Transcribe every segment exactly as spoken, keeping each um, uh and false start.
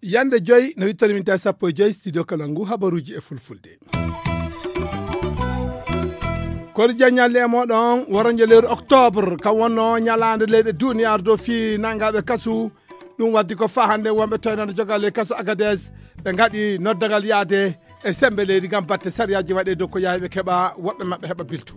Yande joyi no wittori min tawi sappo e joyi studio kala ngu habaruji e fulfulde. Kori jaññalle e moɗon waranjo lewru octobre, kam wonno ñalaande leyɗe duniyaaru dow fii nanngaɓe kasu. Ɗum waddi ko faa hannde wonɓe toynano jogal e kasu Agades, ɓe ngaɗi noddagal yaade e sembe leydi ngam batte sariyaaji waɗe dow ko yaawi ɓe keɓa, woɓɓe maɓɓe heɓa bilto.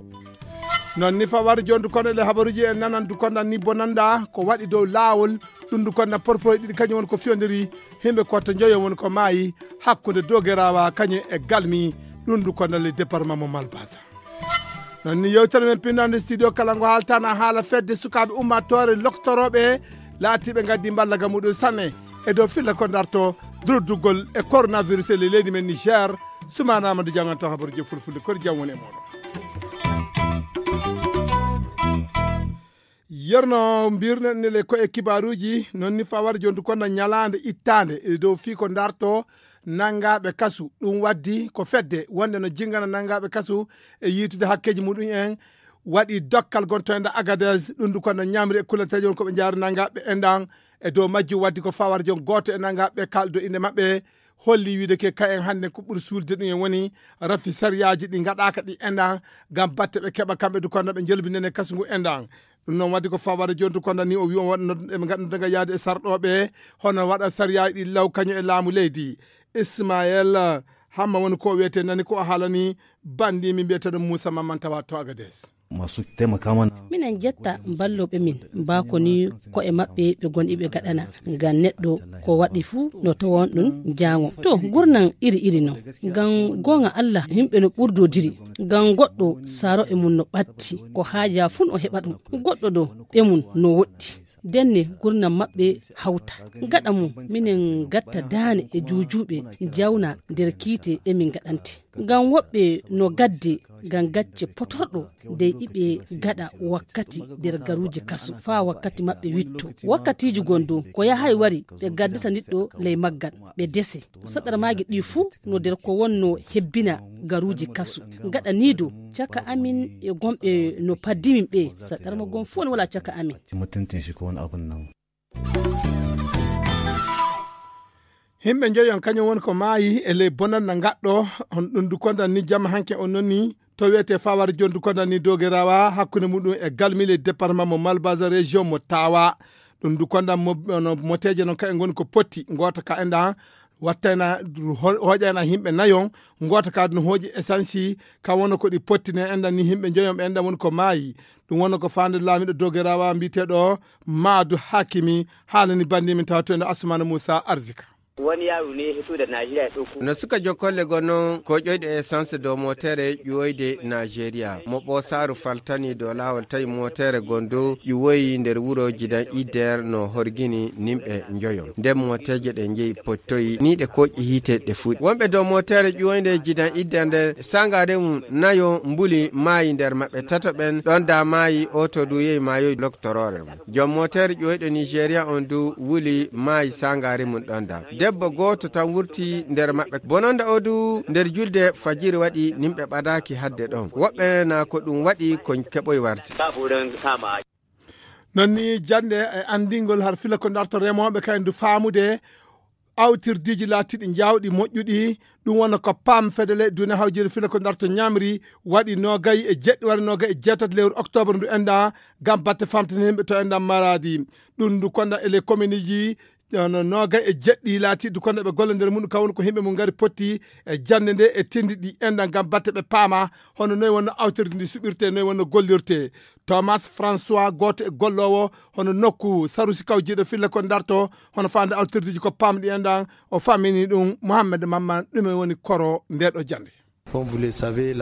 Non ni fa wari jondu kono le habaruji en nanan du kondan ni bonanda ko waɗi dow laawol. Ɗum du kondan porporoy ɗiɗi kañum woni ko fiyondiri, himɓe kotta joyo woni ko maayi hakkunde dogerawa kañum e galmi. Ɗum du kondan le département mo Malbasa. Non ni yewtere men pinnande studio kala ngo haaltana haala fedde sukaaɓe ummatore loktoroɓe laatiɓe gaddi mballa ga muɗum sanne e dow filla ko darto durdugol e coronavirus e leydi men Niger. Sumana Amadou Diaw ngal tan habaruji e fulfulde kori jam woni e moɗon. Yerno mbirnen nele ko e kibaruji non ni fawar jondu kono ñalaande ittaande e dow fii ko darto nanngaɓe kasu. Ɗum waddi ko fedde wonde no jingana nanngaɓe kasu e yiitude hakkeji muɗum en waɗi dokkal gontoynde Agadez. Ɗum du kono ñamri e kulanteejo won ko ɓe jaari nanngaɓe enɗan e dow majjum waddi ko fawar jon gooto e nanngaɓe kaldo inde maɓɓe holli wiide ke kayen hannde ko ɓuri suulde ɗum en woni rafi sariyaaji ɗi ngaɗaaka ɗi enɗan ngam batte ɓe keɓa kamɓe du kono ɓe njolbinene kasu ngu enɗan. Ɗum noon waddi ko fawar jondu kono ni o wi on waɗa noddu eɓe ngaɗa noddu nga yaade e sarɗoɓe hono waɗa sariyaaji ɗi law kañum e laamu leydi. Ismael Hamma woni ko wiyete nani ko o haalani bandi min mbiyeteɗo Moussa Mamman tawa to Agadez. Masu taimaka mana. Minen jetta ballooɓe min mbaa ko ni ko'e maɓɓe ɓe goni ɓe gaɗana ngam neɗɗo ko waɗi fuu no tawa on ɗum jaango to gurnan iri iri non. Ngam goonga Allah yimɓe no ɓurdodiri ngam goɗɗo saaro e mum no ɓatti ko haaja fuu no heɓa ɗum. Goɗɗo ɗo ɓe mum no woɗɗi. Denne gurnam maɓɓe hawta. Gaɗa mum minen gatta daane e juujuuɓe jawna nder kiite emin gaɗante. Ngam woɓɓe no gadde ngam gacce potorɗo dey iɓe gaɗa wakkati nder garuuji kasu faa wakkati maɓɓe witto. Wakkatiiji gon dow ko yahay wari ɓe gaddata niɗɗo ley maggal ɓe dese. Saɗarmaaji ɗi fuu no nder ko wonno hebbina garuuji kasu. Gaɗa nii dow caka amin e gomɓe no paddimin ɓe saɗarma gon fuu no wala caka amin. Mutuntun shi ko wani abun nan. Himɓe njoyon kañum woni ko maayi e ley bonanna ngaɗɗo on ɗum du kondan ni jamma hanke on noni to wiyete fawar jondu kondan ni dogerawa hakkunde muɗum e galmile département mo Malbaza région mo Tawa. Ɗum du kondan mo moteje non kayen ngoni ko potti ngota ka enɗan wattayna hoƴayna himɓe nayon. Ngota ka ɗum hoƴi essence ka wona ko ɗi pottine enɗan ni himɓe njoyon ɓe enɗan woni ko maayi. Ɗum wonno ko faande laamiɗo dogerawa mbiyeteɗo Maadu Hakimi haalani bandi min tawa to ene Asumana Moussa Arzika. Wani yaro ne ya fito da Najeriya ya ɗauko. No suka jokkolle gonno ko ƴoyɗe essence dow motere ƴuwoyde Najeriya mo ɓoosaaru faltani dow laawol tawi motere gonɗo ƴuwoyi nder wuro jidan idder no horgini nimɓe njoyon nden moteje ɗe njeyi pottoyi ni ɗe koƴƴi hiite ɗe fuɗi wonɓe dow motere ƴuwoynde jidan idder nder sangare mum nayo mbuli maayi nder maɓɓe tato ɓen ɗon da maayi oto du yehi maayoyi loktoroore mum. Joom mooteere ƴooyɗo Nigeria on du wuli maayi saangaari mum ɗon da. Debbo gooto tan wurti nder maɓɓe. Bononda o du nder julde fajiri waɗi nimɓe ɓadaaki hadde ɗon. Woɓɓe na ko ɗum waɗi ko keɓoy warti. Non ni jannde e anndingol har fila ko darto remooɓe kayen du faamude awtirdiiji laatiiɗi jaawɗi moƴƴuɗi. Ɗum wona ko pam fedele dune hawjiri fila ko darto ñamri waɗi nogay e jeɗɗi waɗi nogay e jeetati lewru octobre ndu enda ngam batte famtini himɓe to enda maradi. Ɗum ndu konda e les communeji no nogay e jeɗɗi laatiiɗi konda ɓe golla nder mum kawon ko himɓe mum ngari potti e jannde nde e tindi ɗi enda ngam batte ɓe paama hono noy wonno awtirde ndi suɓirte noy wonno gollirte. Thomas François gooto e golloowo hono nokku sarusi kawjiiɗo filla ko darto hono faande altirdiiji ko pamɗi en ɗan o famini ɗum Mohammed Mamman ɗume woni koro nde ɗo jannde.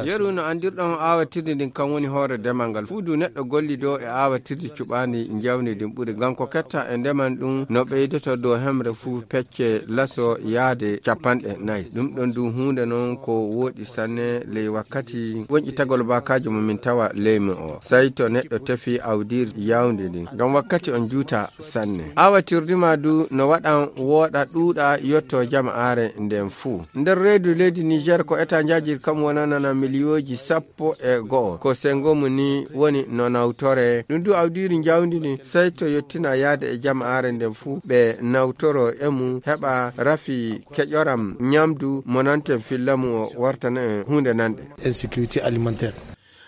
Yeru no anndirɗon awatirdi ndin kan woni hoore demal ngal fuu du neɗɗo gollido e awatirdi cuɓaandi njawdi ndin ɓuri ngam ko ketta e ndeman ɗum no ɓeydoto dow hemre fuu pecce laso yaade capanɗe nayi ɗum ɗon du huunde non ko wooɗi sanne ley wakkati woƴƴitagol baakaaji mo min tawa leymu o. Sey to neɗɗo tefi awdiiri yaawndi ndin, ngam wakkati on juuta sanne. Awatirdi ma du no waɗan wooɗa ɗuuɗa yotto jama'aare nden fuu. Nder reedu leydi Niger ko eta njaajiri Kam wonanana miliyooji sappo e go'o. Ko senngo mum ni woni no nawtoree. Ɗum du awdiiri njawdi ndi, sey to yottina yahde e jama'aare nden fuu, ɓe nawtoroo e mum, heɓa rafi keƴoram ɲamdu mo nanten filla mum o wartana en huunde nanɗe. Insécurité alimentaire.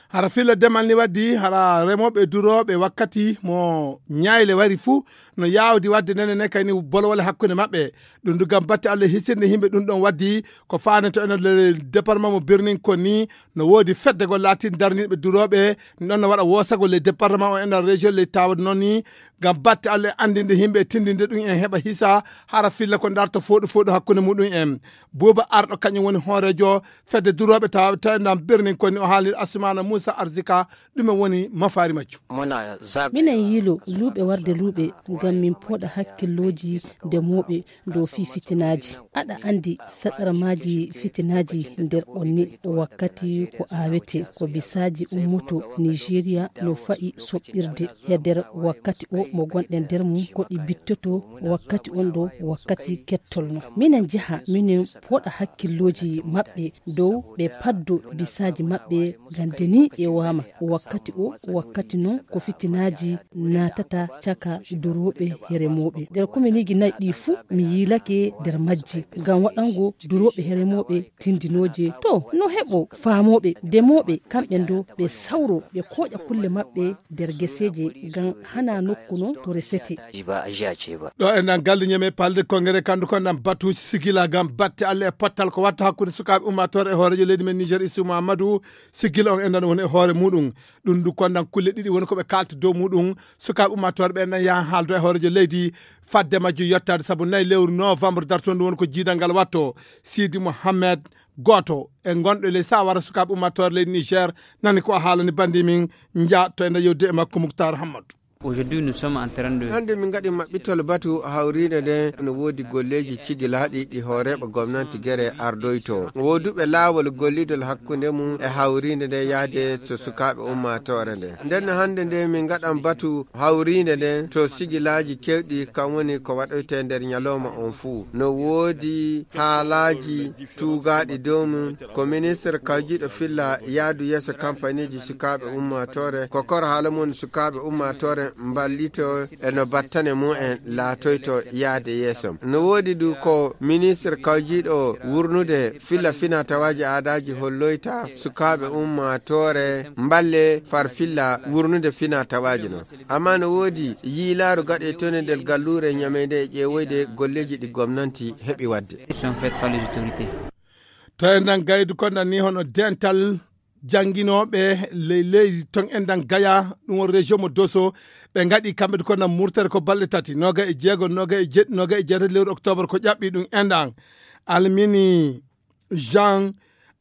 Hara filla demal ni waddi, hara remooɓe e durooɓe wakkati mo ɲaayle wari fuu, no yaawdi wadde nene ne kayni bolwole hakkunde maɓɓe. Ɗum du ngam batte Allah hisirde yimɓe ɗum ɗon waddi ko faanete enen le département mo Birnin Konni, no woodi fedde gol laatin darniiɓe durooɓe, ɗum ɗon no waɗa woosagol le département o enen région le tawde noon ni, ngam batte Allah anndinde yimɓe e tindinde ɗum en heɓa hisa, hara filla ko darto fooɗu fooɗu hakkunde muɗum en. Buuba Arɗo kañum woni hooreejo fedde durooɓe tawa tawi nan Birnin Konni, o haalnir Asumana Moussa Arzika, ɗume woni mafaari majjum. Minen yiilo luuɓe warde luuɓe, ngam min pooɗa hakkillooji ndemooɓe dow fii fitinaaji. Aɗa anndi saɗarmaaji fitinaaji nder on ni, wakkati ko aawete, ko bisaaji ummoto Nigeria no fa'i soɓɓirde. He nder wakkati o mo gonɗen nder mum, ko ɗi bittoto wakkati on ɗo, wakkati kettol no. Minen njaha, minen pooɗa hakkillooji maɓɓe dow ɓe paddo bisaaji maɓɓe, gande ni ƴeewaama. Wakkati o, wakkati non ko fitinaaji naatata caka durooɓe he remooɓe. Nder kominiiji nayi ɗi fuu, mi yiilake nder majji. Ngam waɗango durooɓe he remooɓe tindinooje. To, no heɓo faamooɓe, demooɓe, kamɓe ndo, ɓe sawro, ɓe kooƴa kulle maɓɓe nder geseeje, ngam hana nokku non to resete. Ɗo e nan galle ñeme palde kongere kandu kon nan batuuji sigila ngam batte Allah e pottal ko watta hakkunde sukaaɓe ummaatoore e hooreejo leydi men Niger Isu Muhammadu. Sigila on e nan woni e hoore muɗum. Ɗum ndu kon nan kulle ɗiɗi woni ko ɓe kalti dow muɗum. Sukaaɓe ummaatoore ɓe nan yahan haaldo e hooreejo leydi fadde majjo yottaade sabu nayi lewru novembre darto ndu woni ko jiidal ngal watto. Sidi Mohammed gooto e gonɗo e ley sawara sukaaɓe ummaatoore leydi Niger nani ko a haalani bandi min. Nja to enda yewde e makko Muktar Hammadu. Aujourd'hui, nous sommes en train de Hannde min ngaɗi maɓɓitol batu hawriinde nde no woodi golleeji cigilaaɗi ɗi hooreeɓe gomnanti gere ardoyto. Wooduɓe laawol gollidol hakkunde mum e hawriinde nde yahde to sukaaɓe ummaatoore nde. Nden no hannde nde min ngaɗan batu hawriinde nde to sigilaaji kewɗi kam woni ko waɗoyte nder ñalooma on fuu. No woodi haalaaji tuugaaɗi dow mum. Ko ministre kawjiiɗo filla yaadu yeeso kampaniiji sukaaɓe ummaatoore. Ko kor haala mum sukaaɓe ummaatoore mballito e no battane mum en laatoyto yaade yeeso. No woodi du ko ministre kawjiiɗo wurnude filla fina tawaaji aadaaji holloyta sukaaɓe ummaatoore mballe far filla wurnude fina tawaaji no. Amma no woodi yiilaaru gaɗe tone nder galluure ñameyde e ƴeewoyde golleeji ɗi gomnanti heɓi waɗde. Sont faites par les autorités. To en nan gaydu kon nan ni hono dental jannginooɓe ley leydi ton en nan gaya ɗum on région mo Doso ɓe ngaɗi kamɓe ko nan murtere ko balɗe tati noga e jeego noga e jeɗɗi noga e jeetati lewru octobre ko ƴaɓɓi ɗum en ɗan. Almini Jean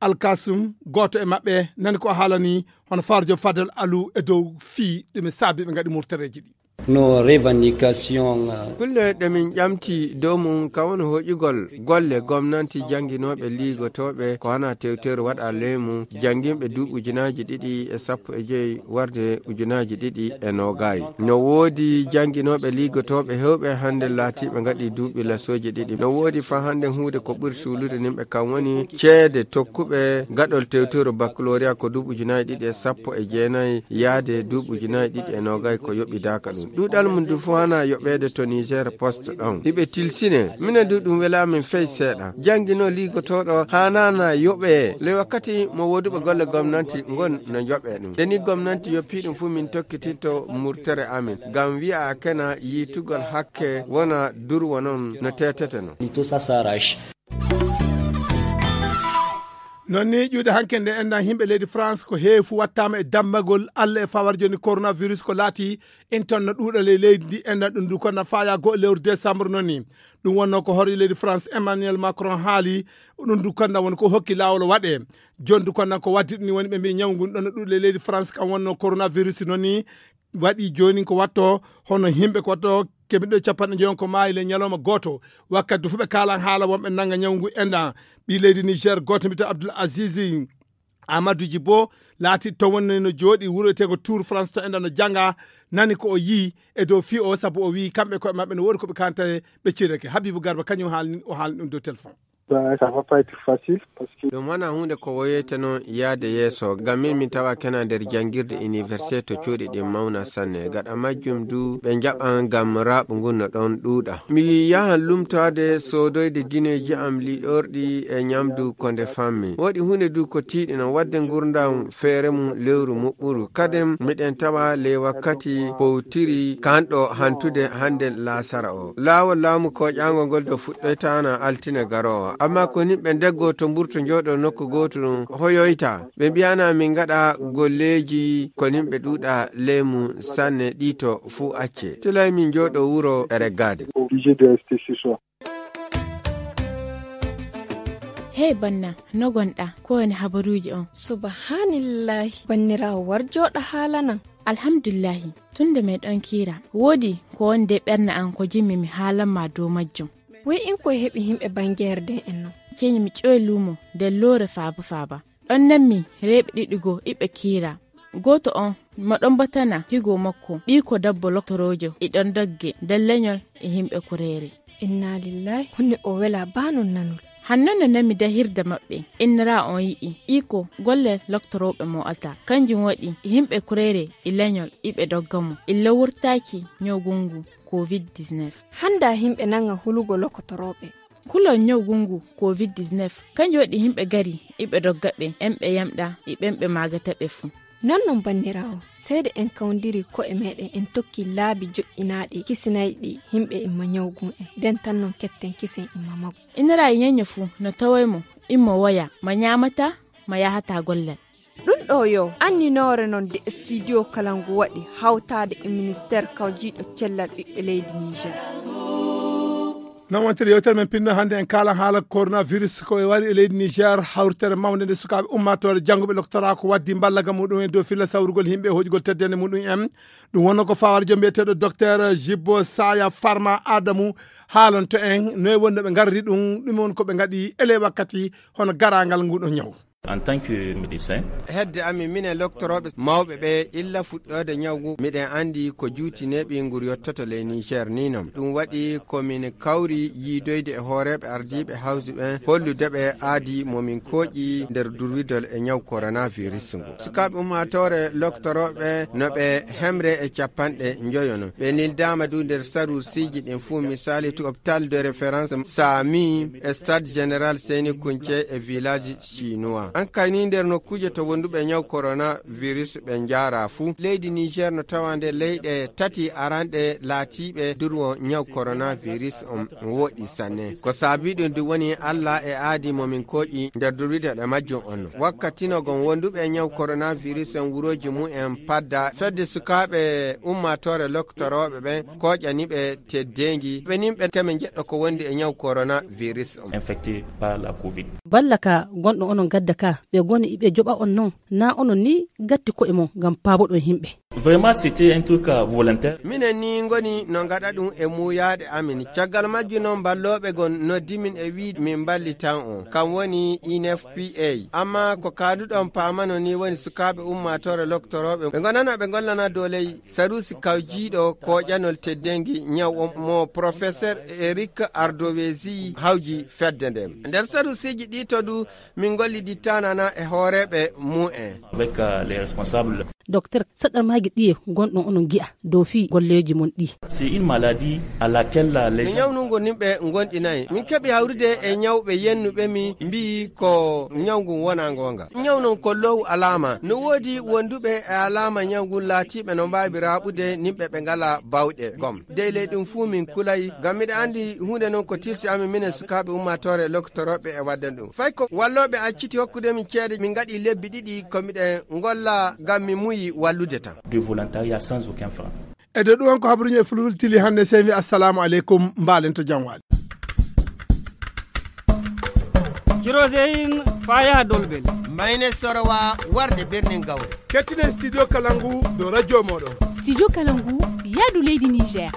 Alkasum gooto e maɓɓe nani ko haalani hono Farjo Fadel Alu e dow fii ɗume saabi ɓe ngaɗi murtereeji ɗi. No revendication. Kulle ɗe min ƴamti dow mum kam woni hoƴugol golle gomnanti jannginooɓe liigotooɓe ko hana tewteeru waɗa ley mum jannginɓe duuɓi ujunaaji ɗiɗi e sappo e joyi warde ujunaaji ɗiɗi e noogayi. No woodi jannginooɓe liigotooɓe heewɓe hannde laatiiɓe ngaɗi duuɓi lasooji ɗiɗi. No woodi fa hannde huunde ko ɓuri suulude nimɓe kam woni ceede tokkuɓe gaɗol tewteeru baccalauréat ko duuɓi ujunaaji ɗiɗi e sappo e jeenayi yaade duuɓi ujunaaji ɗiɗi e noogayi ko yoɓidaaka ɗum. Ɗuuɗal mum du fof hana yoɓeede to Niger Post ɗon. Hiɓe tilsine. Minen du ɗum welaa min fey seeɗa. Jannginoo liigotooɗo haanaana yoɓee. Ley wakkati mo wooduɓe golle gomnanti ngon no njoɓee ɗum. Nde ni gomnanti yoppii ɗum fuu min tokkitinto murtere amin. Ngam wi'a kena yiitugol hakke wona durwa non no teetete non. Lito sasarash. Non ni ƴuuɗe hanke nde enɗan yimɓe leydi France ko heewi fu wattaama e dammagol Allah e fawar joni coronavirus ko laati inton no ɗuuɗa ley leydi ndi enɗan ɗum du konna faya goo lewru décembre non ni. Ɗum wonno ko hooreejo leydi France Emmanuel Macron haali ɗum du konna woni ko hokki laawol waɗe. Jon du konna ko waddi ɗum ni woni ɓe mbi ñaw ngun ɗon no ɗuuɗa ley leydi France kam wonno coronavirus non ni waɗi joni ko watto hono yimɓe ko watto keɓiɗo capanɗe joyon ko maayi le ñalawma gooto. Wakkati du fuɓe kaalan haala wonɓe nanga ñawngu enɗan ɓi leydi Niger gooto mbiyetee Abdoul Aziz Amadou Djibo laati to wonni no jooɗi wuro etego Tour France to enɗan no janga nani ko o yii e dow fii o sabu o wii kamɓe koye maɓɓe no woodi ko ɓe kanta ɓe cirake Habibou Garba kañum haalni o haalni ɗum dow téléphone. Ben, ça va pas être facile parce que ɗum wona huunde ko woyoyta noon yahde yeeso. Ngam min, min tawa kena nder janngirde université to cuuɗi ɗin mawna sanne. Gaɗa majjum du, ɓe njaɓan ngam raaɓo ngun no ɗon ɗuuɗa. Mi yahan lumtaade soodoyde gineeji am liiɗorɗi e ñamdu ko nde fammi. Woɗi huunde du ko tiiɗi noon, waɗde ngurndan feere mum lewru muɓɓuru. Kaden miɗen tawa ley wakkati powtiri kanɗo hantude hande laasara o. Laawol laamu koƴaango ngol do fuɗɗoytaana altine garoowa. Amma ko nimɓe ndeggo to mburto njooɗo nokku gooto ɗum hoyoyta. Ɓe mbi'ana min ngaɗa golleeji ko nimɓe ɗuuɗa leemu sanne ɗi to fuu acce. Tilay min njooɗo wuro e reggaade. Obligé de rester chez soi. Hey banna, no gonɗa? Ko woni habaruuji on? Subhanallahi, banniraawo war jooɗa haalanan. Alhamdulillahi, tun nde meɗon kiira. Woodi ko woni de ɓernde an ko jimmi mi haalan ma dow majjum. Wey in koye heɓi himɓe bangeerde en non. Ceñi mi ƴoy luumo nder loore faaba faaba. Ɗon nanmi reeɓe ɗiɗi goo iɓe kiira. Gooto on mo ɗon batana higo makko, ɓii ko dabbo loktoroojo, e ɗon dogge nder leñol e himɓe kureere. Inna lillahi, honno o wela baa non nanol. Hanno no nami dahirde maɓɓe, innira on yi'i, iko golle loktorooɓe mo alta. Kanjum waɗi yimɓe kureere e leñol iɓe dogga mo, illa wurtaaki ñawgu ngu covid dix-neuf. Hannda yimɓe nanga hulugo loktorooɓe. Kulol ñawgu ngu covid dix-neuf, kanjum waɗi yimɓe gari iɓe dogga ɓe, en ɓe yamɗa e ɓen ɓe maagata ɓe fuu. Non non banniraawo, seede en kawndiri ko'e meɗen en tokki laabi joƴƴinaaɗi kisinayɗi yimɓe imma ñawgu en, nden tan non ketten kisen imma maggu. Inira e ñeño fuu no taway mo, immo woya, ma ñaamata, ma yahata gollal. Ɗum ɗo yo anninoore non de studio kala ngu waɗi hawtaade e ministeer kawjiiɗo cellal ɓiɓɓe leydi Niger. Non wontiri yewtere men pinno hannde en kaalan haala coronavirus ko e wari e leydi Niger, hawritere mawnde nde sukaaɓe ummaatoore jannguɓe loktoraa ko waddi mballaga muɗum en dow filla sawrugol yimɓe e hoƴugol teddende muɗum en. Ɗum wonno ko fawaade joom mbiyeteeɗo docteur Jibbo Saya Farma Adamu haalanto en noy wonno ɓe ngarri ɗum, ɗum woni ko ɓe ngaɗi ele wakkati hono garaangal ngu ɗo ñaw. En tant que médecin. Hedde amin, minen loktorooɓe mawɓe ɓe, illa fuɗɗoode ñaw ngu, miɗen anndi ko juuti neeɓi ngu yottoto ley Niger ni non. Ɗum waɗi ko min kawri yiidoyde e hooreeɓe ardiiɓe hawsi ɓen, hollude ɓe aadi mo min kooƴi nder durwidol e ñaw coronavirus ngu. Sukaaɓe ummaatoore loktorooɓe no ɓe hemre e capanɗe njoyo non. Ɓe nildaama du nder saruusiiji ɗin fuu, misali to hôpital de référence Sami, e stade général Seyni Kunce e village chinois. An kay ni nder nokkuuje to wonduɓe ñaw coronavirus ɓe njaara fuu. Leydi Niger no tawa nder leyɗe tati aranɗe laatiiɓe durwo ñaw coronavirus on woɗi sanne. Ko saabi ɗum du woni Alla e aadi mo min kooƴi nder durwide ɗe majjum on. Wakkati no gon wonduɓe ñaw coronavirus on wurooji mumen padda fedde sukaaɓe ummaatoore loktorooɓe ɓen kooƴani ɓe teddeengi. Ɓe nin ɓe keme njeɗɗo ko wondi e ñaw coronavirus on. Infecté par la covid. Balla ka gonɗo onon gadda ka, ɓe goni iɓe joɓa on non, na onon ni gatti ko'e mon ngam paaboɗon yimɓe. Vraiment, c'était un truc, euh, volontaire. Minen ni ngoni no ngaɗa ɗum e muuyaade amin. Caggal majjum non ballooɓe gon noddi min e wii min mballitan on. Kam woni I N F P A. Amma ko kaaduɗon paamano ni woni sukaaɓe ummaatoore loktorooɓe ɓe ngonana ɓe ngollana dow ley saruusi kawjiiɗo kooƴanol teddeengi ñaw on mo professeur Eric Ardovesi hawji fedde nden. Nder saruusiiji ɗi to du min ngollidittaanana e hooreeɓe mumen. Avec, euh, les responsables. Docteur, saɗɗarmaaji ɗiye gonɗon onon ngi'a dow fii golleeji mon ɗi? C'est une maladie à laquelle, euh, les... Ko ñawnungu nimɓe ngonɗinayi. Min keɓi hawrude e ñawɓe yennuɓe mi mbi'i ko ñaw ngun wona ngoonga. Ñaw non ko low alaama. No woodi wonduɓe e alaama ñaw ngun laatiiɓe no mbaawi raaɓude nimɓe ɓe ngala bawɗe gom. Dey ley ɗum fuu min kulayi, ngam miɗa anndi huunde non ko tilsi amin minen sukaaɓe ummaatoore loktorooɓe e wadden ɗum. Fay ko wallooɓe acciti hokkude min ceede, min ngaɗi lebbi ɗiɗi ko miɗen ngolla ngam mi muyi wallude tan. De volontariat sans aucun franc. E dow ɗum on ko habaruuji e fulfulde tili hannde, sey mi assalamu aleykum, mbaalen to jam waali. Kiroseyin faa yaha Dolbel. Mayne Sorowa warde Birnin Gawri. Kettinen Studio Kalangu dow radio mooɗon. Studio Kalangu, yaadu leydi Niger.